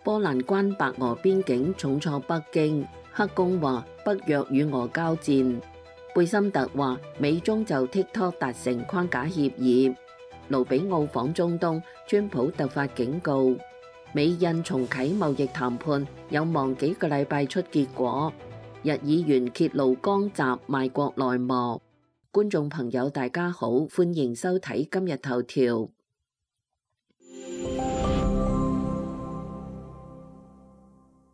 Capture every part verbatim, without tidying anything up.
波蘭關白俄邊境重挫北京，克宮話北約與俄交戰。貝森特話美中就 TikTok 達成框架協議。盧比奧訪中東，川普突發警告。美印重啟貿易談判，有望幾個禮拜出結果。日議員揭露江澤賣國內幕。觀眾朋友大家好，歡迎收睇今日頭條。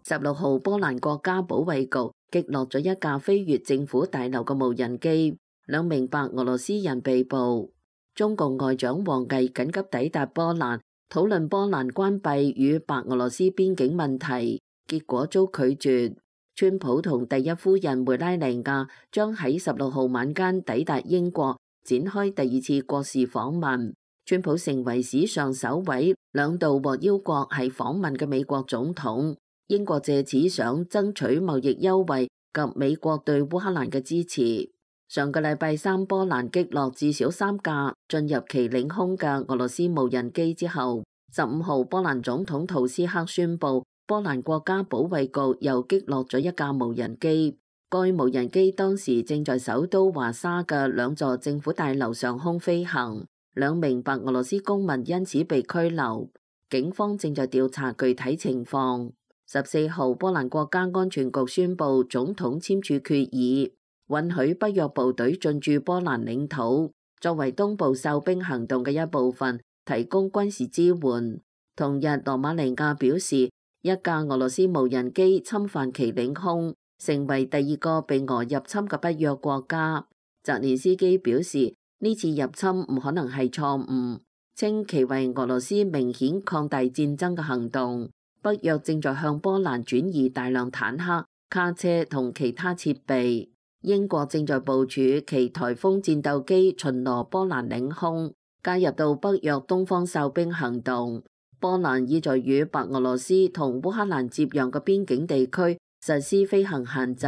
十六號，波蘭國家保衛局擊落咗一架飛越政府大樓嘅無人機，兩名白俄羅斯人被捕。中共外長王毅緊急抵達波蘭，討論波蘭關閉與白俄羅斯邊境問題，結果遭拒絕。川普同第一夫人梅拉尼亞將喺十六號晚間抵達英國，展開第二次國事訪問。川普成為史上首位兩度獲邀國係訪問嘅美國總統。英國借此想爭取貿易優惠及美國對烏克蘭嘅支持。上個禮拜三，波蘭擊落至少三架進入其領空嘅俄羅斯無人機之後，十五號波蘭總統圖斯克宣布，波蘭國家保衛局又擊落咗一架無人機。該無人機當時正在首都華沙嘅兩座政府大樓上空飛行，兩名白俄羅斯公民因此被拘留。警方正在調查具體情況。十四號，波蘭國家安全局宣布總統簽署決議，允許北約部隊進駐波蘭領土，作為東部哨兵行動嘅一部分，提供軍事支援。同日，羅馬尼亞表示，一架俄羅斯無人機侵犯其領空，成為第二個被俄入侵嘅北約國家。澤連斯基表示，呢次入侵唔可能係錯誤，稱其為俄羅斯明顯擴大戰爭嘅行動。北約正在向波蘭轉移大量坦克、卡車同其他設備。英國正在部署其颱風戰鬥機巡邏波蘭領空，加入到北約東方哨兵行動。波蘭已在與白俄羅斯同烏克蘭接壤嘅邊境地區實施飛行限制。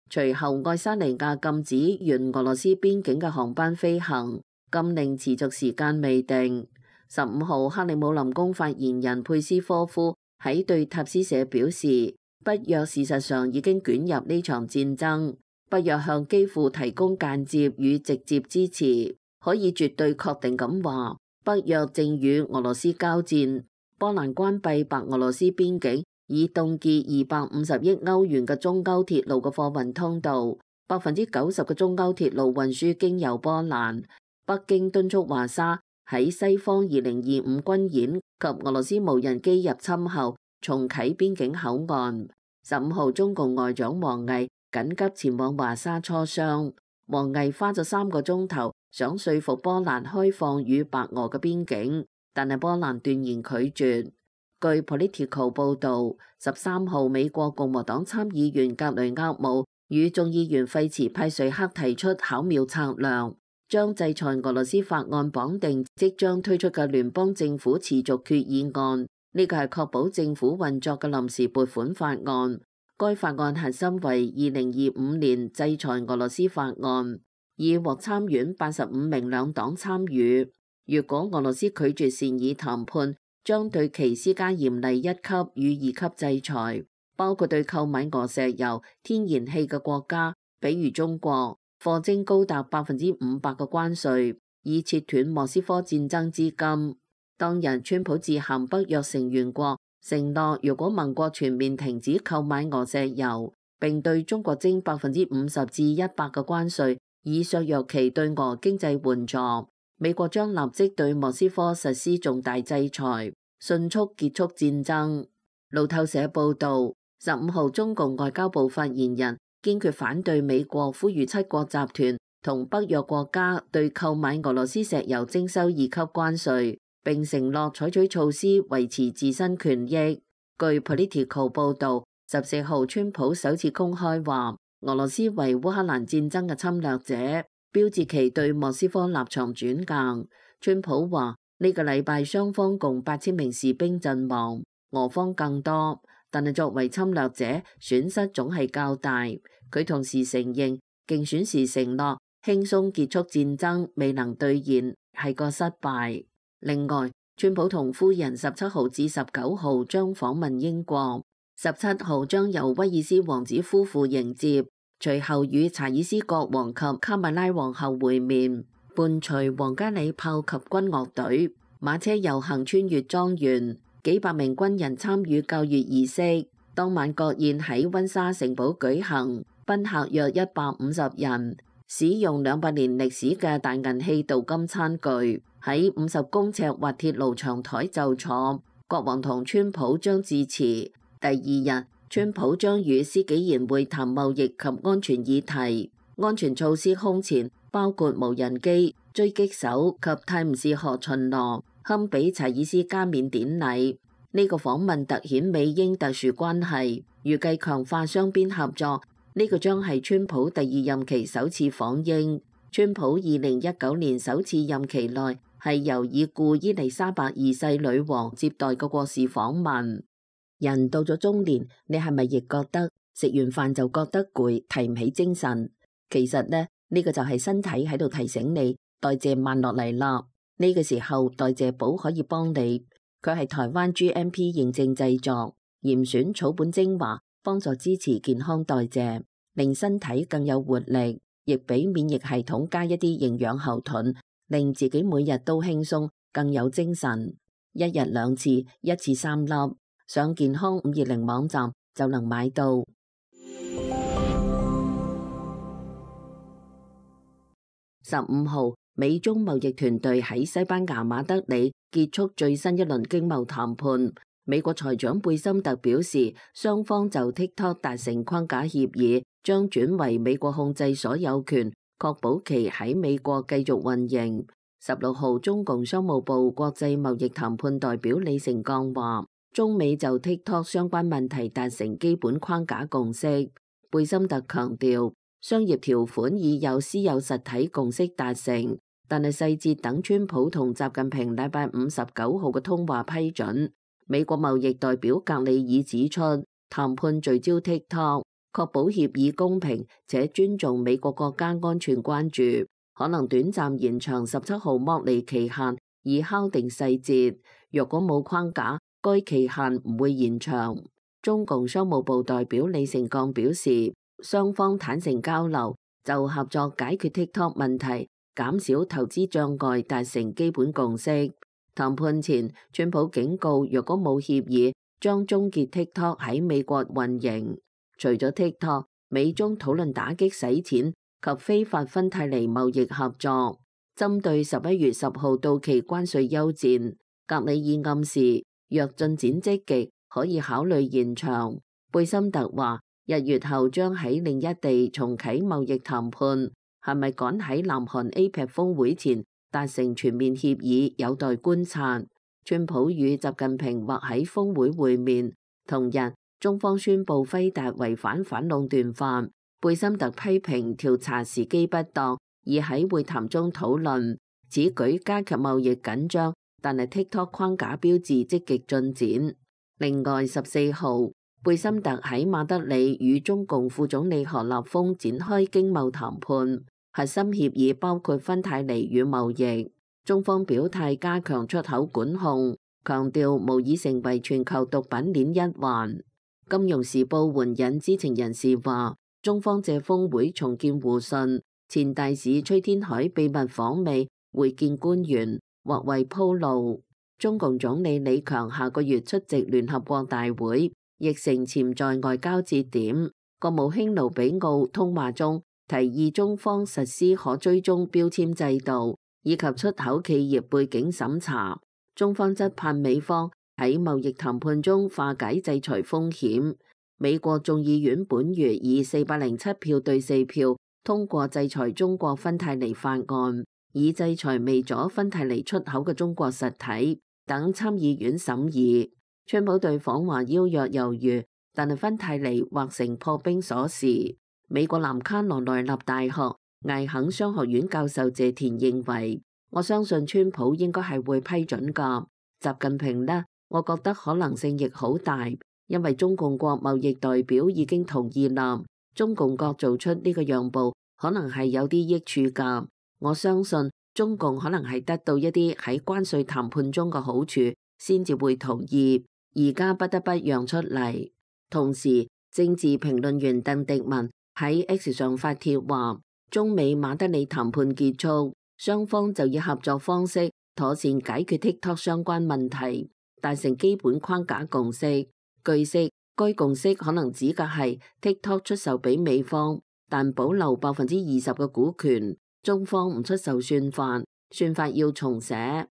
隨後，愛沙尼亞禁止沿俄羅斯邊境嘅航班飛行，禁令持續時間未定。十五號，克里姆林宮發言人佩斯科夫喺對塔斯社表示，北約事實上已經捲入呢場戰爭。北約向基輔提供間接與直接支持，可以絕對確定咁話，北約正與俄羅斯交戰。波蘭關閉白俄羅斯邊境，以凍結二百五十億歐元嘅中歐鐵路嘅貨運通道，百分之九十嘅中歐鐵路運輸經由波蘭。北京敦促華沙喺西方二零二五軍演及俄羅斯無人機入侵後重啟邊境口岸。十五號，中共外長王毅緊急前往華沙磋商。王毅花咗三個鐘頭想說服波蘭開放與白俄嘅邊境，但係波蘭斷然拒絕。據 Politico 報導，十三號，美國共和黨參議員格雷厄姆與眾議員費茨派瑞克提出巧妙策略，將制裁俄羅斯法案綁定即將推出嘅聯邦政府持續決議案。呢個係確保政府運作嘅臨時撥款法案。該法案核心為二零二五年制裁俄羅斯法案，已獲參院八十五名兩黨參與。如果俄羅斯拒絕善意談判，將對其施加嚴厲一級與二級制裁，包括對購買俄石油、天然氣嘅國家，比如中國，課徵高達百分之五百嘅關稅，以切斷莫斯科戰爭資金。當日，川普致函北約成員國，承諾如果盟國全面停止購買俄石油，並對中國徵百分之五十至一百嘅關稅，以削弱其對俄經濟援助，美國將立即對莫斯科實施重大制裁，迅速結束戰爭。路透社報導，十五號，中共外交部發言人堅決反對美國呼籲七國集團同北約國家對購買俄羅斯石油徵收二級關稅，並承諾採取措施維持自身權益。據 Politico 報導，十四號，川普首次公開話俄羅斯為烏克蘭戰爭嘅侵略者，標誌其對莫斯科立場轉硬。川普話呢個禮拜雙方共八千名士兵陣亡，俄方更多，但係作為侵略者損失總係較大。佢同時承認競選時承諾輕鬆結束戰爭未能兌現，係個失敗。另外，川普同夫人十七號至十九號將訪問英國，十七號將由威爾斯王子夫婦迎接，隨後與查爾斯國王及卡米拉皇后會面，伴隨皇家禮炮及軍樂隊，馬車遊行穿越莊園，幾百名軍人參與校閱儀式。當晚國宴喺溫莎城堡舉行，賓客約一百五十人，使用兩百年歷史嘅大銀器鍍金餐具，喺五十公尺滑鐵盧長台就坐。國王同川普將致辭。第二日，川普將與施紀賢會談貿易及安全議題，安全措施空前，包括無人機、狙擊手及泰晤士河巡邏，堪比查爾斯加冕典禮。呢個訪問突顯美英特殊關係，預計強化雙邊合作。呢個將係川普第二任期首次訪英。川普二零一九年首次任期內係由已故伊麗莎白二世女王接待嘅國事訪問。人到咗中年，你係咪亦覺得食完飯就覺得攰，提唔起精神？其實呢，呢個就係身體喺度提醒你代謝慢落嚟啦。呢個時候代謝寶可以幫你。佢係台灣 G M P 認證製作，嚴選草本精華，幫助支持健康代謝，令身體更有活力，亦俾免疫系統加一啲營養後盾，令自己每日都輕鬆，更有精神。一日兩次，一次三粒，上健康五二零網站就能買到。十五號，美中貿易團隊喺西班牙馬德里結束最新一輪經貿談判。美國財長貝森特表示，雙方就 TikTok 達成框架協議，將轉為美國控制所有權，確保其喺美國繼續運營。十六號，中共商務部國際貿易談判代表李成鋼話，中美就 TikTok 相關問題達成基本框架共識。貝森特強調，商業條款已有私有實體共識達成，但係細節等川普同習近平禮拜五十九號嘅通話批准。美國貿易代表格里爾指出，談判聚焦 TikTok， 確保協議公平且尊重美國國家安全關注，可能短暫延長十七號剝離期限，以敲定細節。若果冇框架，該期限唔會延長。中共商務部代表李成鋼表示，雙方坦誠交流，就合作解決 TikTok 問題、減少投資障礙達成基本共識。談判前，川普警告，若果冇協議，將終結 TikTok 喺美國運營。除咗 TikTok， 美中討論打擊洗錢及非法芬太尼貿易合作。針對十一月十號到期關稅休戰，格里爾暗示，若進展積極，可以考慮延長。貝森特話，一月後將喺另一地重啟貿易談判，係咪趕喺南韓 A P E C 峰會前達成全面協議，有待觀察。川普與習近平或喺峰會會面。同日，中方宣布輝達違反反壟斷法。貝森特批評調查時機不當，已喺會談中討論，此舉加劇貿易緊張，但係 TikTok 框架標誌積極進展。另外，十四號，貝森特喺馬德里與中共副總理何立峰展開經貿談判，核心協議包括芬太尼與貿易。中方表態加強出口管控，強調無意成為全球毒品鏈一環。金融時報援引知情人士話，中方借峰會重建互信，前大使崔天凱秘密訪美會見官員，或為鋪路。中共總理李強下個月出席聯合國大會，亦成潛在外交節點。國務卿盧比奧通話中提議中方實施可追蹤標籤制度，以及出口企業背景審查。中方則盼美方喺貿易談判中化解制裁風險。美國眾議院本月以四百零七票對四票通過制裁中國芬太尼法案，以制裁未阻芬太尼出口嘅中國實體等參議院審議。川普對訪華邀約猶豫，但係芬太尼或成破冰鎖匙。美國南卡羅來納大學艾肯商學院教授謝田認為，我相信川普應該係會批准㗎。習近平呢，我覺得可能性亦好大，因為中共國貿易代表已經同意啦。中共國做出呢個讓步，可能係有啲益處㗎。我相信中共可能係得到一啲喺關稅談判中嘅好處，先至會同意，而家不得不讓出嚟。同時，政治評論員鄧迪文喺 X 上發帖話，中美馬德里談判結束，雙方就以合作方式妥善解決 TikTok 相關問題，達成基本框架共識。據悉，該共識可能指嘅係 TikTok 出售俾美方，但保留百分之二十嘅股權，中方唔出售算法，算法要重寫。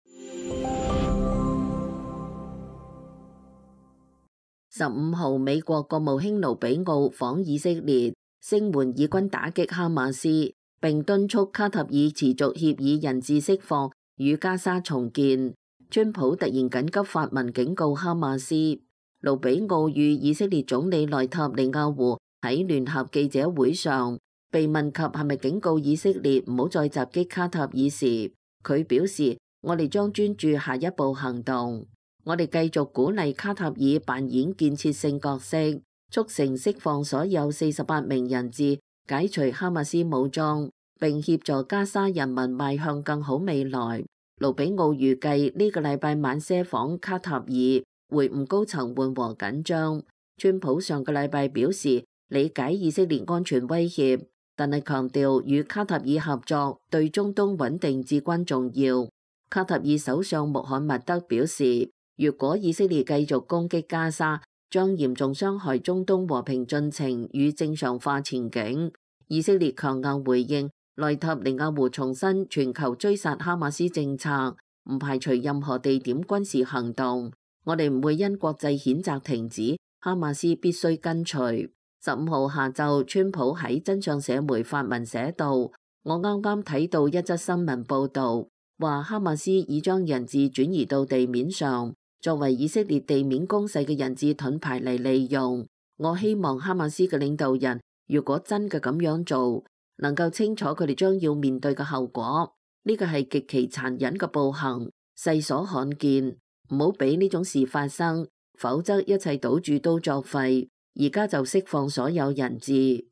十五號，美國國務卿盧比奧訪以色列，聲援以軍打擊哈馬斯，並敦促卡塔爾持續協議人質釋放與加沙重建。川普突然緊急發文警告哈馬斯。盧比奧與以色列總理內塔尼亞胡喺聯合記者會上被問及係咪警告以色列唔好再襲擊卡塔爾時，佢表示：我哋將專注下一步行動。我哋繼續鼓勵卡塔爾扮演建設性角色，促成釋放所有四十八名人質，解除哈馬斯武裝，並協助加沙人民邁向更好未來。盧比奧預計呢個禮拜晚些訪卡塔爾，會晤高層緩和緊張。川普上個禮拜表示理解以色列安全威脅，但係強調與卡塔爾合作對中東穩定至關重要。卡塔爾首相穆罕默德表示，如果以色列繼續攻擊加沙，將嚴重傷害中東和平進程與正常化前景。以色列強硬回應，內塔尼亞胡重申全球追殺哈馬斯政策，唔排除任何地點軍事行動。我哋唔會因國際譴責停止，哈馬斯必須跟隨。十五號下晝，川普喺真相社媒發文寫道：我啱啱睇到一則新聞報導，話哈馬斯已將人質轉移到地面上，作為以色列地面攻勢嘅人質盾牌嚟利用。我希望哈馬斯嘅領導人，如果真嘅咁樣做，能夠清楚佢哋將要面對嘅後果。呢個係極其殘忍嘅暴行，世所罕見。唔好俾呢種事發生，否則一切賭注都作廢。而家就釋放所有人質。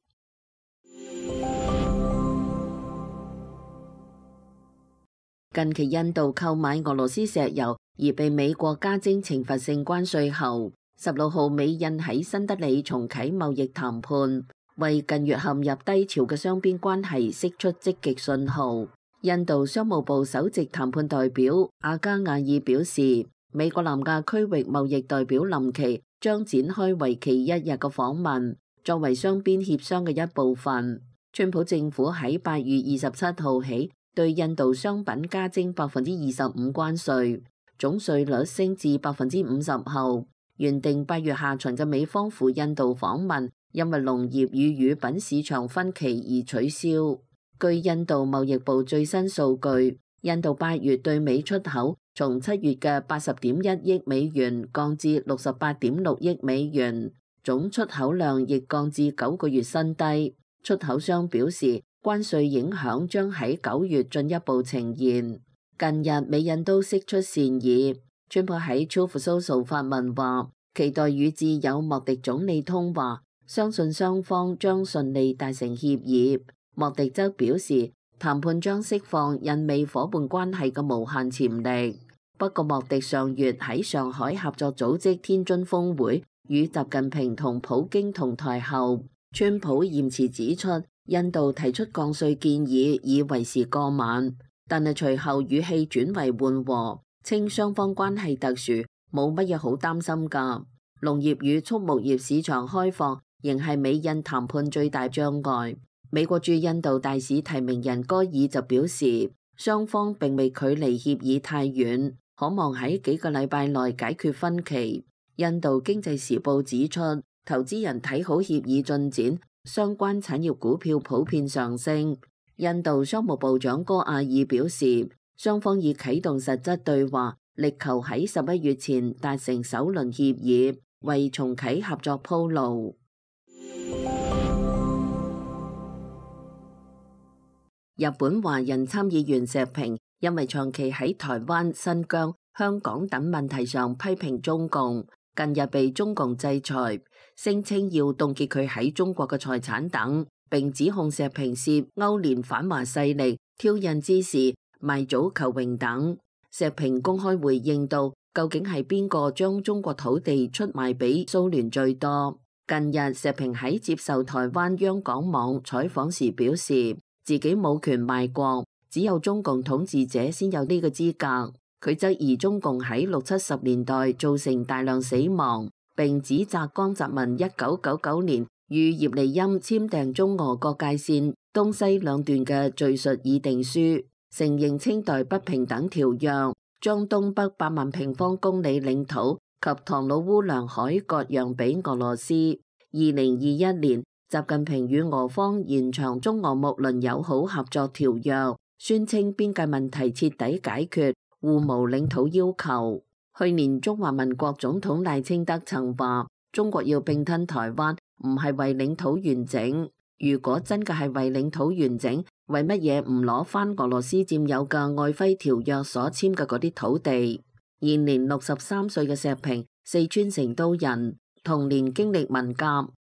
近期印度購買俄羅斯石油而被美國加徵懲罰性關稅後，十六號美印喺新德里重啟貿易談判，為近月陷入低潮嘅雙邊關係釋出積極信號。印度商務部首席談判代表阿加亞爾表示，美國南亞區域貿易代表林奇將展開為期一日嘅訪問，作為雙邊協商嘅一部分。川普政府喺八月二十七號起對印度商品加徵百分之二十五關稅，總稅率升至百分之五十後，原定八月下旬嘅美方赴印度訪問，因為農業與乳品市場分歧而取消。據印度貿易部最新數據，印度八月對美出口從七月嘅八十點一億美元降至六十八點六億美元，總出口量亦降至九個月新低。出口商表示，關稅影響將喺九月進一步呈現。近日美印都釋出善意，川普喺 Truth Social 發文話，期待與自由莫迪總理通話，相信雙方將順利達成協議。莫迪則表示，談判將釋放印美夥伴關係嘅無限潛力。不過，莫迪上月喺上海合作組織天津峰會與習近平同普京同台後，川普嚴詞指出，印度提出降稅建議已為時過晚，但係隨後語氣轉為緩和，稱雙方關係特殊，冇乜嘢好擔心㗎。農業與畜牧業市場開放仍係美印談判最大障礙。美國駐印度大使提名人戈爾就表示，雙方並未距離協議太遠，可望喺幾個禮拜內解決分歧。印度經濟時報指出，投資人睇好協議進展，相關產業股票普遍上升。印度商務部長戈阿爾表示，雙方已啟動實質對話，力求喺十一月前達成首輪協議，為重啟合作鋪路。日本華人參議員石平因為長期喺台灣、新疆、香港等問題上批評中共，近日被中共制裁，聲稱要凍結佢喺中國嘅財產等，並指控石平涉勾連反華勢力，挑釁之時賣早求榮等。石平公開回應到，究竟係邊個將中國土地出賣俾蘇聯最多？近日，石平喺接受台灣央廣網採訪時表示，自己冇權賣國，只有中共統治者先有呢個資格。佢質疑中共喺六七十年代造成大量死亡，並指責江澤民一九九九年與葉利欽簽訂中俄各界線東西兩段嘅敘述議定書，承認清代不平等條約，將東北八萬平方公里領土及唐努烏梁海割讓俾俄羅斯。二零二一年，習近平與俄方延長中俄睦鄰友好合作條約，宣稱邊界問題徹底解決，互無領土要求。去年中華民國總統賴清德曾話，中國要併吞台灣唔係為領土完整，如果真嘅係為領土完整，為乜嘢唔攞翻俄羅斯佔有嘅璦琿條約所簽嘅嗰啲土地？現年六十三歲嘅石平，四川成都人，童年經歷文革，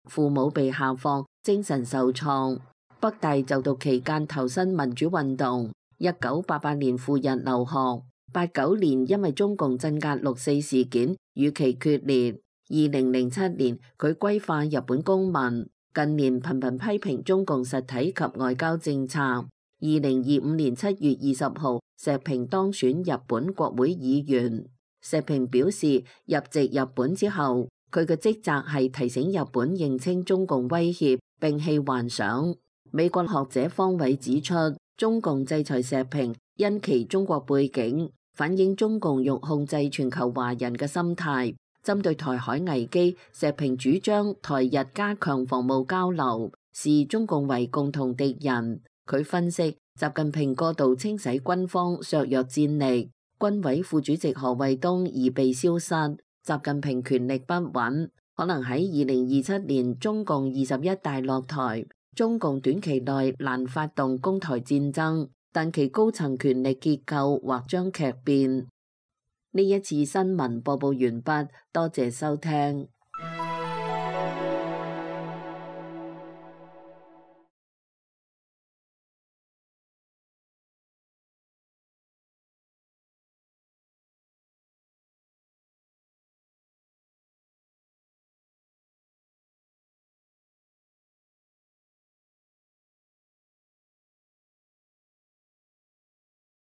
父母被下放，精神受創。北大就讀期間投身民主運動，一九八八年赴日留學。八九年因為中共鎮壓六四事件與其決裂，二零零七年佢歸化日本公民，近年頻頻批評中共實體及外交政策。二零二五年七月二十號，石平當選日本國會議員。石平表示，入籍日本之後，佢嘅職責係提醒日本認清中共威脅，摒棄幻想。美國學者方偉指出，中共制裁石平因其中國背景，反映中共欲控制全球華人嘅心態。針對台海危機，石平主張台日加強防務交流，視中共為共同敵人。佢分析，習近平過度清洗軍方，削弱戰力，軍委副主席何衛東已被消失，習近平權力不穩，可能喺二零二七年中共二十一大落台，中共短期內難發動攻台戰爭，但其高層權力結構或將劇變。呢一次新聞播報完畢，多謝收聽。